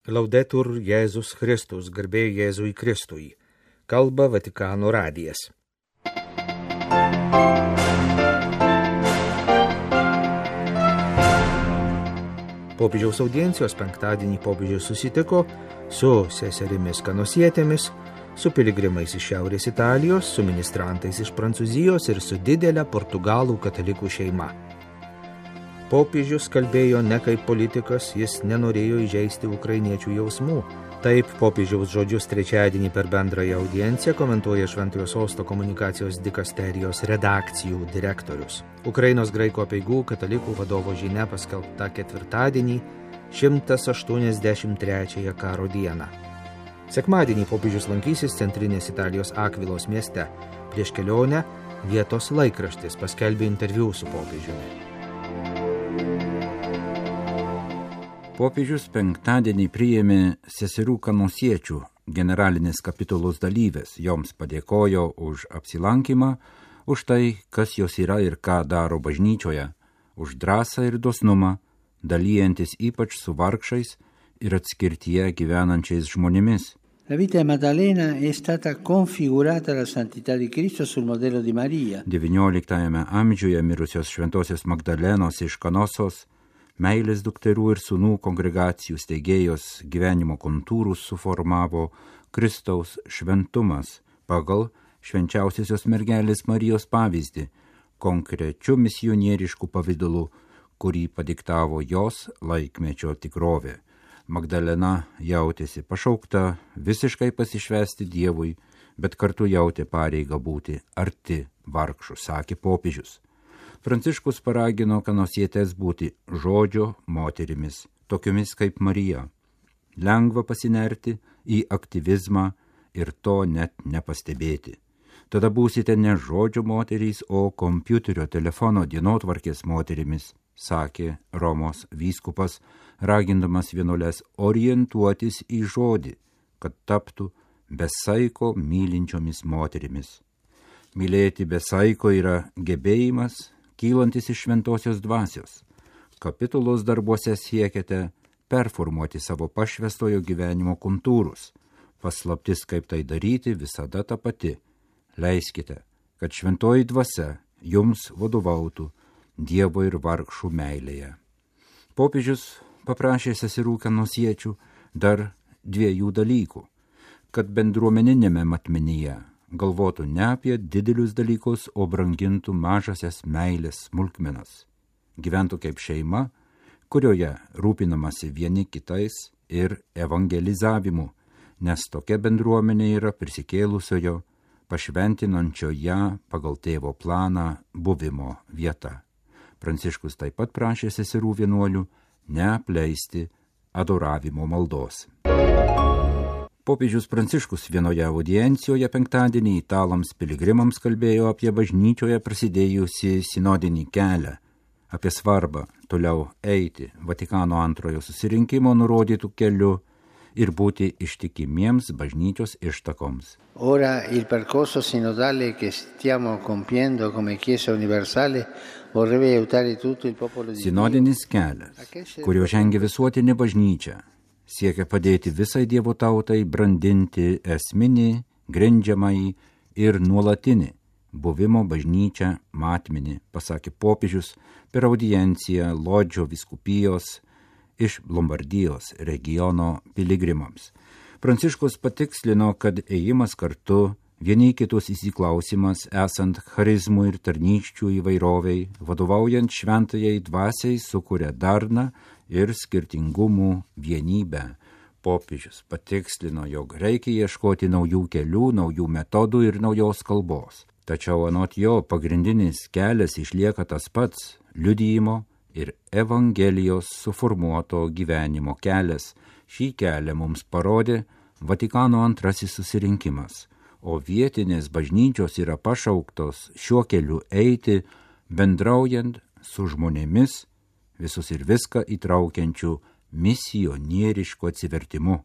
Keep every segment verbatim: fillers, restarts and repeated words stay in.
Laudetur Jėzus Kristus, garbė Jėzui Kristui. Kalba Vatikano radijas. Popiežiaus audiencijos penktadienį popiežius susitiko su seserimis kanosietėmis, su piligrimais iš Šiaurės Italijos, su ministrantais iš Prancūzijos ir su didelė portugalų katalikų šeima. Popiežius kalbėjo ne kaip politikas, jis nenorėjo įžeisti ukrainiečių jausmų. Taip popiežiaus žodžius trečiadienį per bendrąją audienciją komentuoja Šventojo Sosto komunikacijos dikasterijos redakcijų direktorius. Ukrainos graikų apeigų katalikų vadovo žinia paskelbta ketvirtadienį, šimtas aštuoniasdešimt trečiąją karo dieną. Sekmadienį popiežius lankysis centrinės Italijos Akvilos mieste. Prieš kelionę vietos laikraštis paskelbė interviu su popiežiumi. Popiežius penktadienį priėmė seserų kanosiečių generalinės kapitulos dalyvės, joms padėkojo už apsilankymą, už tai, kas jos yra ir ką daro bažnyčioje, už drąsą ir dosnumą, dalyjantis ypač su vargšais ir atskirtyje gyvenančiais žmonėmis. La vita di Maddalena è stata configurata alla santità di Cristo sul modello di Maria. devynioliktajame amžiuje mirusios šventosios Magdalenos iš Kanosos, meilės dukterų ir sūnų kongregacijų steigėjos gyvenimo kontūrus suformavo Kristaus šventumas pagal švenčiausiosios mergelės Marijos pavyzdį, konkrečiu misionierišku pavidalu, kurį padiktavo jos laikmečio tikrovė. Magdalena jautėsi pašaukta visiškai pasišvęsti Dievui, bet kartu jautė pareigą būti arti vargšų, sakė popiežius. Pranciškus paragino kanosietės būti žodžio moterimis, tokiomis kaip Marija. Lengva pasinerti į aktyvizmą ir to net nepastebėti. Tada būsite ne žodžio moterys, o kompiuterio telefono dienotvarkės moterimis, sakė Romos vyskupas, ragindamas vienuoles orientuotis į žodį, kad taptų besaiko mylinčiomis moterimis. Mylėti besaiko yra gebėjimas, kylantis iš šventosios dvasios. Kapitulos darbuose siekiate performuoti savo pašvęstojo gyvenimo kontūrus. Paslaptis, kaip tai daryti, visada ta pati. Leiskite, kad šventoji dvasia jums vadovautų Dievo ir vargšų meilėje. Popiežius paprašė seserų kanosiečių dar dviejų dalykų, kad bendruomeninėme matmenyje galvotų ne apie didelius dalykus, o brangintų mažasias meilės smulkmenas. Gyventų kaip šeima, kurioje rūpinamasi vieni kitais ir evangelizavimu, nes tokia bendruomenė yra prisikėlusiojo, pašventinančio ją pagal tėvo planą buvimo vieta. Pranciškus taip pat prašė seserų vienuolių neapleisti adoravimo maldos. Popiežius Pranciškus vienoje audiencijoje penktadienį italams piligrimams kalbėjo apie bažnyčioje prasidėjusi sinodinį kelią, apie svarbą toliau eiti Vatikano antrojo susirinkimo nurodytų keliu ir būti ištikimiems bažnyčios ištakoms. Ora il percorso sinodale che stiamo compiendo come Chiesa universale vorrebbe aiutare tutto il popolo di Dio. Sinodinis kelias, kurio žengia visuotinė bažnyčia, siekia padėti visai Dievo tautai brandinti esminį, grindžiamąjį ir nuolatinį buvimo bažnyčia matmenį, pasakė popiežius per audienciją Lodžio vyskupijos iš Lombardijos regiono piligrimams. Pranciškus patikslino, kad ėjimas kartu, vieni kitus įsiklausimas, esant charizmų ir tarnysčių įvairoviai, vadovaujant šventajai dvasiai, sukuria darną ir skirtingumų vienybę. Popiežius patikslino, jog reikia ieškoti naujų kelių, naujų metodų ir naujos kalbos. Tačiau anot jo pagrindinis kelias išlieka tas pats – liudijimo ir Evangelijos suformuoto gyvenimo kelias. Šį kelią mums parodė Vatikano antrasis susirinkimas, o vietinės bažnyčios yra pašauktos šiuo keliu eiti, bendraujant su žmonėmis, visus ir viską įtraukiančių misionierišku atsivertimu.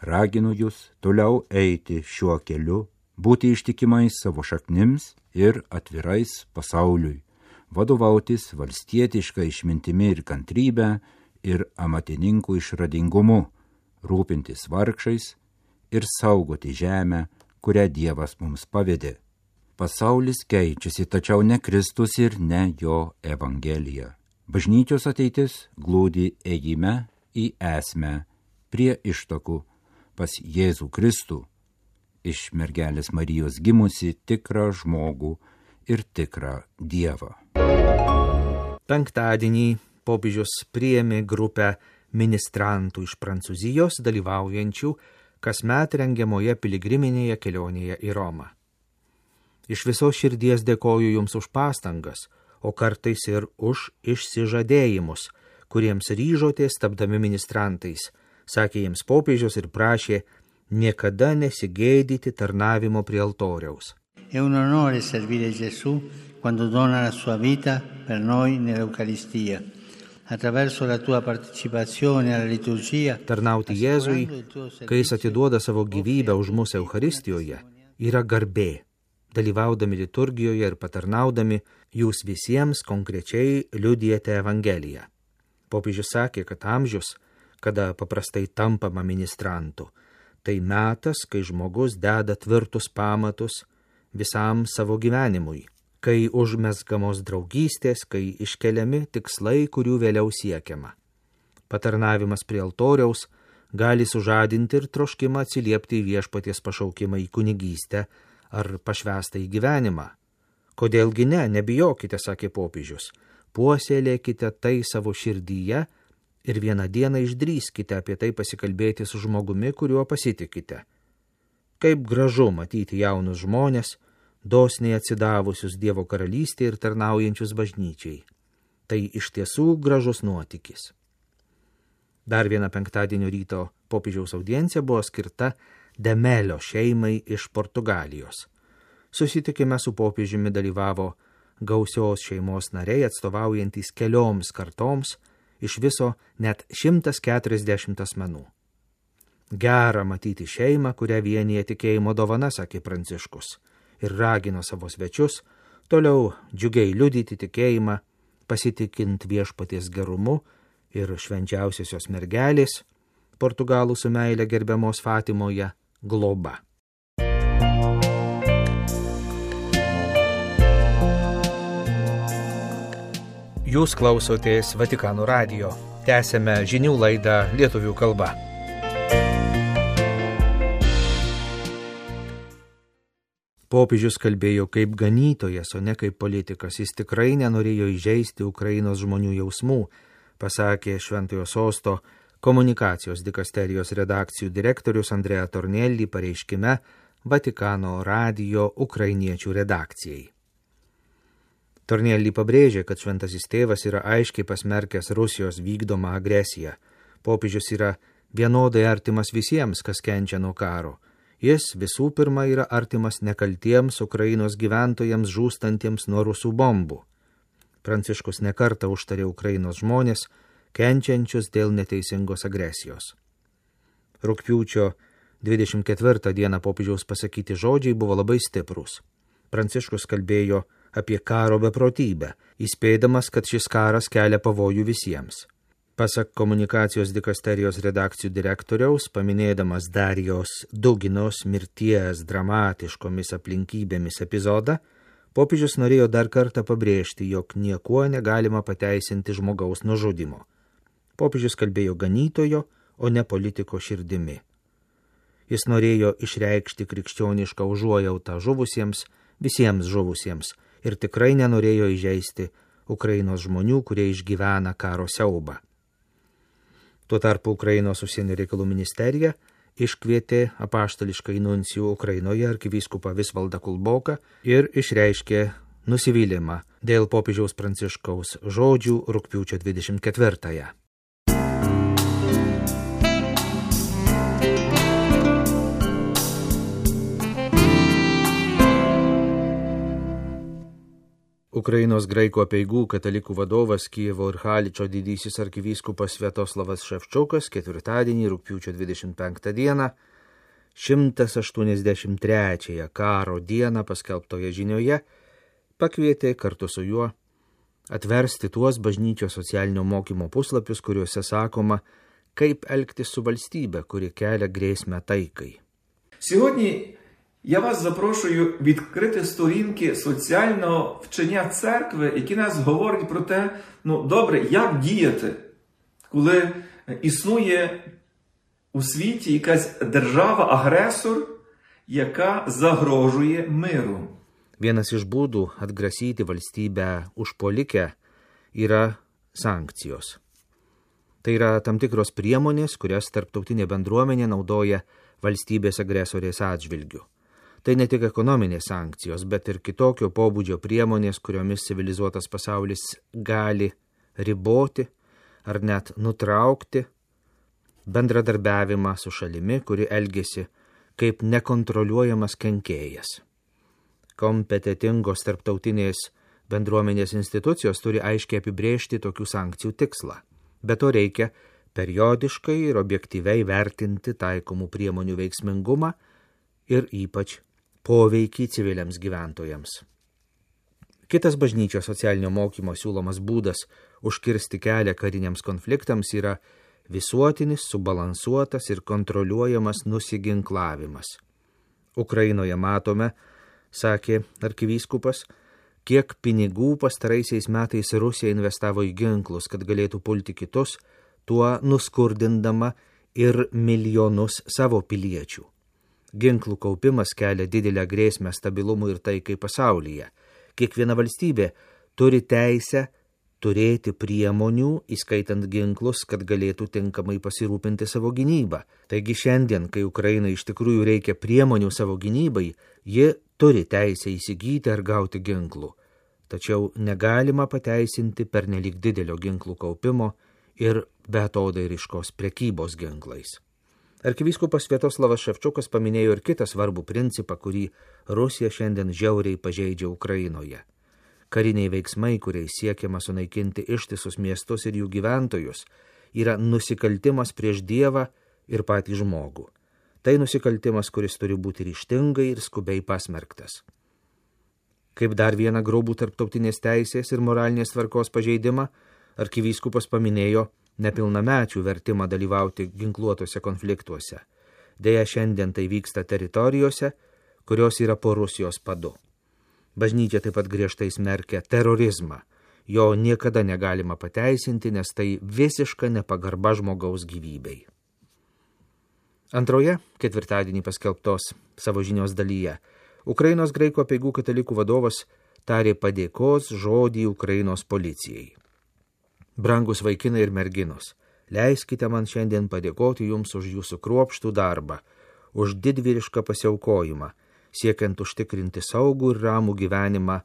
Raginu jūs toliau eiti šiuo keliu, būti ištikimais savo šaknims ir atvirais pasauliui, vadovautis valstietiška išmintimi ir kantrybė ir amatininkų išradingumu, rūpintis vargšais ir saugoti žemę, kurią Dievas mums pavedė. Pasaulis keičiasi, tačiau ne Kristus ir ne jo Evangelija. Bažnyčios ateitis glūdi ėjime į esmę, prie ištakų, pas Jėzų Kristų, iš mergelės Marijos gimusi tikrą žmogų ir tikrą Dievą. Penktadienį popiežius priėmė grupę ministrantų iš Prancūzijos dalyvaujančių kasmet rengiamoje piligriminėje kelionėje į Romą. Iš visos širdies dėkoju Jums už pastangas, o kartais ir už išsižadėjimus, kuriems ryžotės tapdami ministrantais, sakė jiems popiežius ir prašė niekada nesigėdyti tarnavimo prie altoriaus. È un onore servire Gesù quando dona la sua vita per noi nell'Eucaristia. Attraverso la tua partecipazione alla liturgia. Tarnauti Jėzui, kai Jis atiduoda savo gyvybę už mus Eucharistijoje, yra garbė. Dalyvaudami liturgijoje ir patarnaudami, jūs visiems konkrečiai liudijate Evangeliją. Popiežius sakė, kad amžius, kada paprastai tampama ministrantu, tai metas, kai žmogus deda tvirtus pamatus visam savo gyvenimui, kai užmezgamos draugystės, kai iškeliami tikslai, kurių vėliau siekiama. Patarnavimas prie altoriaus gali sužadinti ir troškimą atsiliepti į viešpaties pašaukimą į kunigystę ar pašvęstą į gyvenimą. Kodėlgi ne, nebijokite, sakė popiežius, puoselėkite tai savo širdyje ir vieną dieną išdrįskite apie tai pasikalbėti su žmogumi, kuriuo pasitikite. Kaip gražu matyti jaunus žmonės, dosniai atsidavusius Dievo karalystę ir tarnaujančius bažnyčiai. Tai iš tiesų gražus nuotykis. Dar viena penktadienio ryto popiežiaus audiencija buvo skirta Demelio šeimai iš Portugalijos. Susitikime su popiežiumi dalyvavo gausios šeimos nariai atstovaujantys kelioms kartoms, iš viso net šimtas keturiasdešimt asmenų. Gera matyti šeimą, kurią vienyje tikėjimo dovana, sakė Pranciškus, ir ragino savo svečius toliau džiugiai liudyti tikėjimą, pasitikint viešpaties gerumu ir švenčiausiosios mergelės, Portugalų su meile gerbiamos Fatimoje, globa. Jūs klausotės Vatikano radijo. Tęsėme žinių laidą lietuvių kalba. Popiežius kalbėjo kaip ganytojas, o ne kaip politikas. Jis tikrai nenorėjo įžeisti Ukrainos žmonių jausmų, pasakė Šventojo Sosto komunikacijos dikasterijos redakcijų direktorius Andrea Tornelli pareiškime Vatikano radijo ukrainiečių redakcijai. Tornelli pabrėžė, kad šventasis tėvas yra aiškiai pasmerkęs Rusijos vykdomą agresiją. Popiežius yra vienodai artimas visiems, kas kenčia nuo karo. Jis visų pirma yra artimas nekaltiems Ukrainos gyventojams žūstantiems nuo rusų bombų. Pranciškus nekartą užtarė Ukrainos žmonės, kenčiančius dėl neteisingos agresijos. Rugpjūčio dvidešimt ketvirtą dieną popiežiaus pasakyti žodžiai buvo labai stiprūs. Pranciškus kalbėjo apie karo beprotybę, įspėdamas, kad šis karas kelia pavojų visiems. Pasak komunikacijos dikasterijos redakcijų direktoriaus, paminėdamas Darijos Duginos mirties dramatiškomis aplinkybėmis epizodą, popiežius norėjo dar kartą pabrėžti, jog niekuo negalima pateisinti žmogaus nužudimo. Popiežius kalbėjo ganytojo, o ne politiko širdimi. Jis norėjo išreikšti krikščionišką užuojautą žuvusiems, visiems žuvusiems, ir tikrai nenorėjo įžeisti Ukrainos žmonių, kurie išgyvena karo siaubą. Tuo tarpu Ukrainos užsienio reikalų ministerija iškvietė apaštališkai nuncijų Ukrainoje arkivyskupą Visvaldą Kulboką ir išreiškė nusivylimą dėl popiežiaus Pranciškaus žodžių rugpjūčio dvidešimt ketvirtąją. Ukrainos graikų apeigų katalikų vadovas Kijevo ir Haličo didysis arkivyskupas Sviatoslavas Ševčukas ketvirtadienį rugpjūčio dvidešimt penktą dieną, šimtas aštuoniasdešimt trečiąją karo dieną paskelbtoje žinioje, pakvietė kartu su juo atversti tuos bažnyčios socialinio mokymo puslapius, kuriuose sakoma, kaip elgtis su valstybe, kuri kelia grėsmę taikai. Сьогодні я вас запрошую відкрити сторінки соціального вчення церкви, які нас говорять про те, ну добре, як діяти, коли існує у світі якась держава-агресор, яка загрожує миру. Vienas iš būdų atgrasyti valstybę užpuolikę yra sankcijos. Tai yra tam tikros priemonės, kurias tarptautinė bendruomenė naudoja valstybės agresorės atžvilgiu. Tai ne tik ekonominės sankcijos, bet ir kitokio pobūdžio priemonės, kuriomis civilizuotas pasaulis gali riboti ar net nutraukti bendradarbiavimą su šalimi, kuri elgiasi kaip nekontroliuojamas kenkėjas. Kompetitingos tarptautinės bendruomenės institucijos turi aiškiai apibrėžti tokių sankcijų tikslą. Be to reikia periodiškai ir objektyviai vertinti taikomų priemonių veiksmingumą ir ypač poveikį civiliams gyventojams. Kitas bažnyčios socialinio mokymo siūlomas būdas užkirsti kelią kariniams konfliktams yra visuotinis, subalansuotas ir kontroliuojamas nusiginklavimas. Ukrainoje matome, sakė arkivyskupas, kiek pinigų pastaraisiais metais Rusija investavo į ginklus, kad galėtų pulti kitus, tuo nuskurdindama ir milijonus savo piliečių. Ginklų kaupimas kelia didelę grėsmę stabilumui ir taikai pasaulyje. Kiekviena valstybė turi teisę turėti priemonių, įskaitant ginklus, kad galėtų tinkamai pasirūpinti savo gynybą. Taigi šiandien, kai Ukrainai iš tikrųjų reikia priemonių savo gynybai, ji turi teisę įsigyti ar gauti ginklų. Tačiau negalima pateisinti pernelyg didelio ginklų kaupimo ir beatodairiškos prekybos ginklais. Arkivyskupas Sviatoslavas Ševčiukas paminėjo ir kitą svarbų principą, kurį Rusija šiandien žiauriai pažeidžia Ukrainoje. Kariniai veiksmai, kuriais siekiama sunaikinti ištisus miestus ir jų gyventojus, yra nusikaltimas prieš Dievą ir patį žmogų. Tai nusikaltimas, kuris turi būti ryžtingai ir skubiai pasmerktas. Kaip dar vieną grobų tarptautinės teisės ir moralinės tvarkos pažeidimą, arkivyskupas paminėjo nepilnamečių vertimą dalyvauti ginkluotose konfliktuose. Deja, šiandien tai vyksta teritorijose, kurios yra po Rusijos padu. Bažnyčia taip pat griežtai smerkia terorizmą. Jo niekada negalima pateisinti, nes tai visiška nepagarba žmogaus gyvybei. Antroje, ketvirtadienį paskelbtos savo žinios dalyje, Ukrainos graikų apeigų katalikų vadovas tarė padėkos žodį Ukrainos policijai. Brangus vaikinai ir merginos, leiskite man šiandien padėkoti jums už jūsų kruopštų darbą, už didvyrišką pasiaukojimą, siekiant užtikrinti saugų ir ramų gyvenimą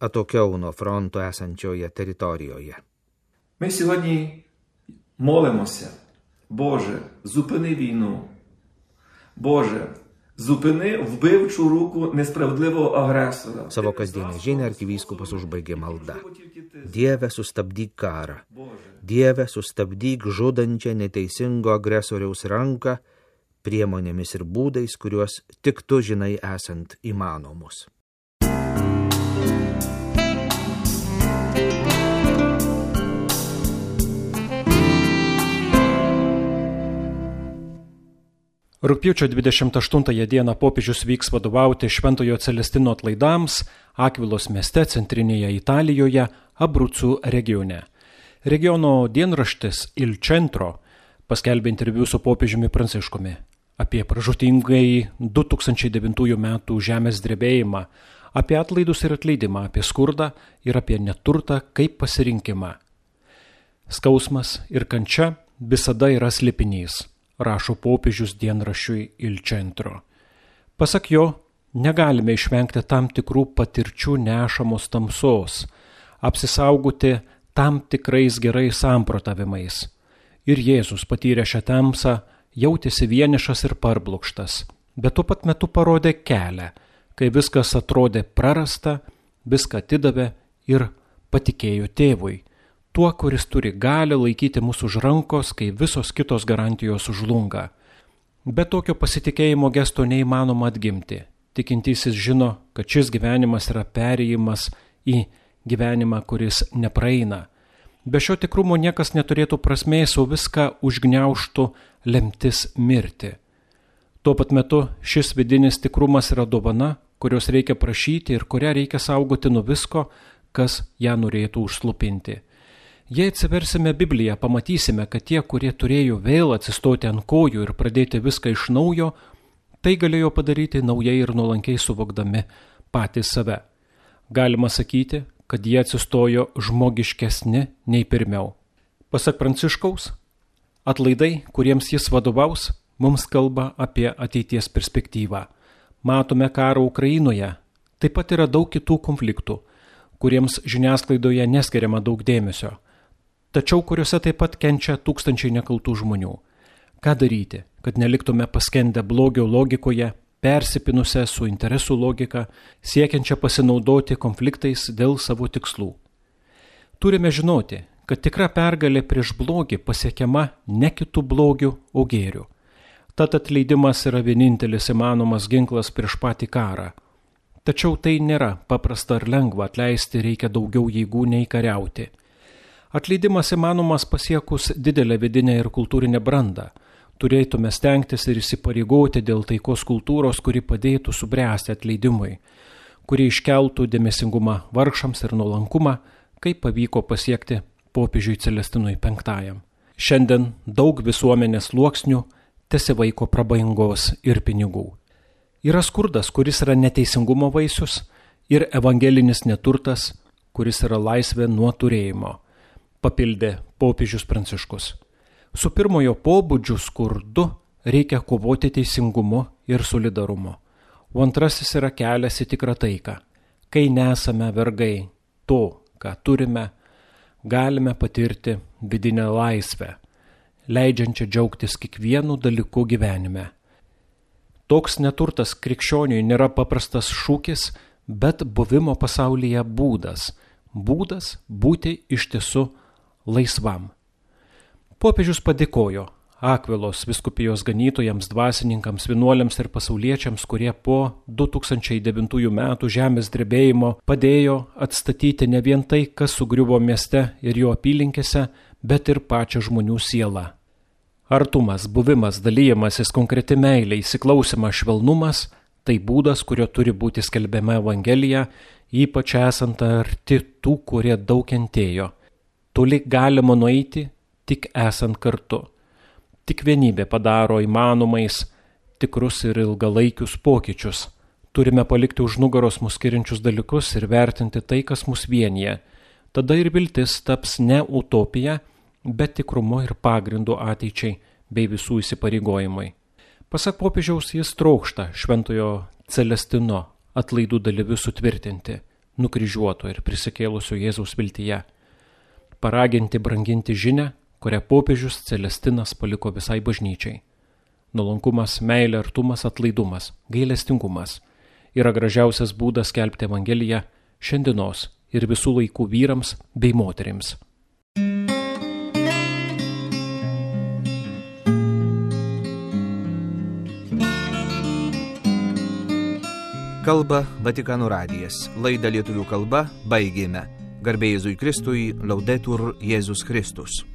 atokiau nuo fronto esančioje teritorijoje. Ми сьогодні молимося. Боже, зупини війну. Боже, зупини вбивчу руку несправедливого агресора. Savo kasdienę žinią arkivyskupas užbaigė malda. Dieve, sustabdyk karą. Dieve, sustabdyk žudančią neteisingo agresoriaus ranką priemonėmis ir būdais, kuriuos tik tu žinai esant įmanomus. Rugpjūčio dvidešimt aštuntąją dieną popiežius vyks vadovauti Šventojo Celestino atlaidams Akvilos mieste centrinėje Italijoje, Abrucų regione. Regiono dienraštis Il Centro paskelbė interviu su popiežiumi Pranciškumi apie pražūtingai du tūkstančiai devintųjų metų žemės drebėjimą, apie atlaidus ir atleidimą, apie skurdą ir apie neturtą kaip pasirinkimą. Skausmas ir kančia visada yra slėpinys, rašo popiežius dienraščiui Il Centro. Pasak jo, negalime išvengti tam tikrų patirčių nešamos tamsos, apsisaugoti tam tikrais gerais samprotavimais. Ir Jėzus patyrė šią tamsą, jautėsi vienišas ir parblokštas, bet tuo pat metu parodė kelią, kai viskas atrodė prarasta, viską atidavė ir patikėjo tėvui, tuo, kuris turi galią laikyti mūsų už rankos, kai visos kitos garantijos sužlunga. Be tokio pasitikėjimo gesto neįmanoma atgimti. Tikintysis žino, kad šis gyvenimas yra perėjimas į gyvenimą, kuris nepraeina. Be šio tikrumo niekas neturėtų prasmės, o viską užgniaužtų lemtis mirti. Tuo pat metu šis vidinis tikrumas yra dovana, kurios reikia prašyti ir kurią reikia saugoti nuo visko, kas ją norėtų užslupinti. Jei atsiversime Bibliją, pamatysime, kad tie, kurie turėjo vėl atsistoti ant kojų ir pradėti viską iš naujo, tai galėjo padaryti naujai ir nuolankiai suvokdami patys save. Galima sakyti, kad jie atsistojo žmogiškesni nei pirmiau. Pasak Pranciškaus, atlaidai, kuriems jis vadovaus, mums kalba apie ateities perspektyvą. Matome karą Ukrainoje, taip pat yra daug kitų konfliktų, kuriems žiniasklaidoje neskiriama daug dėmesio, tačiau kuriuose taip pat kenčia tūkstančiai nekaltų žmonių. Ką daryti, kad neliktume paskendę blogio logikoje, persipinusią su interesų logika, siekiančią pasinaudoti konfliktais dėl savo tikslų? Turime žinoti, kad tikra pergalė prieš blogį pasiekiama ne kitų blogių, o gėrių. Tad atleidimas yra vienintelis įmanomas ginklas prieš patį karą. Tačiau tai nėra paprasta ar lengva, atleisti reikia daugiau jėgų nei kariauti. Atleidimas įmanomas pasiekus didelę vidinę ir kultūrinę brandą. Turėtume stengtis ir įsipareigoti dėl taikos kultūros, kuri padėtų subręsti atleidimui, kuri iškeltų dėmesingumą vargšams ir nuolankumą, kaip pavyko pasiekti popiežiui Celestinui penktajam. Šiandien daug visuomenės sluoksnių tesivaiko prabangos ir pinigų. Yra skurdas, kuris yra neteisingumo vaisius, ir evangelinis neturtas, kuris yra laisvė nuo turėjimo, papildė popiežius Pranciškus. Su pirmojo pobūdžiu skurdu reikia kovoti teisingumu ir solidarumu, o antrasis yra kelias į tikrą taiką. Kai nesame vergai to, ką turime, galime patirti vidinę laisvę, leidžiančią džiaugtis kiekvienu dalyku gyvenime. Toks neturtas krikščioniui nėra paprastas šūkis, bet buvimo pasaulyje būdas, būdas būti iš tiesų laisvam. Popiežius padėkojo Akvilos vyskupijos ganytojams, dvasininkams, vienuoliams ir pasauliečiams, kurie po du tūkstančiai devintųjų metų žemės drebėjimo padėjo atstatyti ne vien tai, kas sugriuvo mieste ir jo apylinkėse, bet ir pačią žmonių sielą. Artumas, buvimas, dalyjimasis, konkreti meilė, įsiklausimas, švelnumas – tai būdas, kurio turi būti skelbiama Evangelija, ypač esant arti tų, kurie daug kentėjo. Toli galima nueiti, tik esant kartu. Tik vienybė padaro įmanomais tikrus ir ilgalaikius pokyčius. Turime palikti už nugaros mus skiriančius dalykus ir vertinti tai, kas mus vienyje. Tada ir viltis taps ne utopija, bet tikrumu ir pagrindu ateičiai bei visų įsipareigojimai. Pasak popiežiaus, jis trokšta šventojo Celestino atlaidų dalyvius sutvirtinti, nukryžiuoto ir prisikėlusio Jėzaus viltyje, paraginti branginti žinią, kurią popiežius Celestinas paliko visai bažnyčiai. Nuolankumas, meilė, artumas, atlaidumas, gailestingumas yra gražiausias būdas skelbti Evangeliją šiandienos ir visų laikų vyrams bei moterims. Kalba Vatikano radijas. Laidą lietuvių kalba baigėme. Garbė Jėzui Kristui, Laudetur Jėzus Kristus.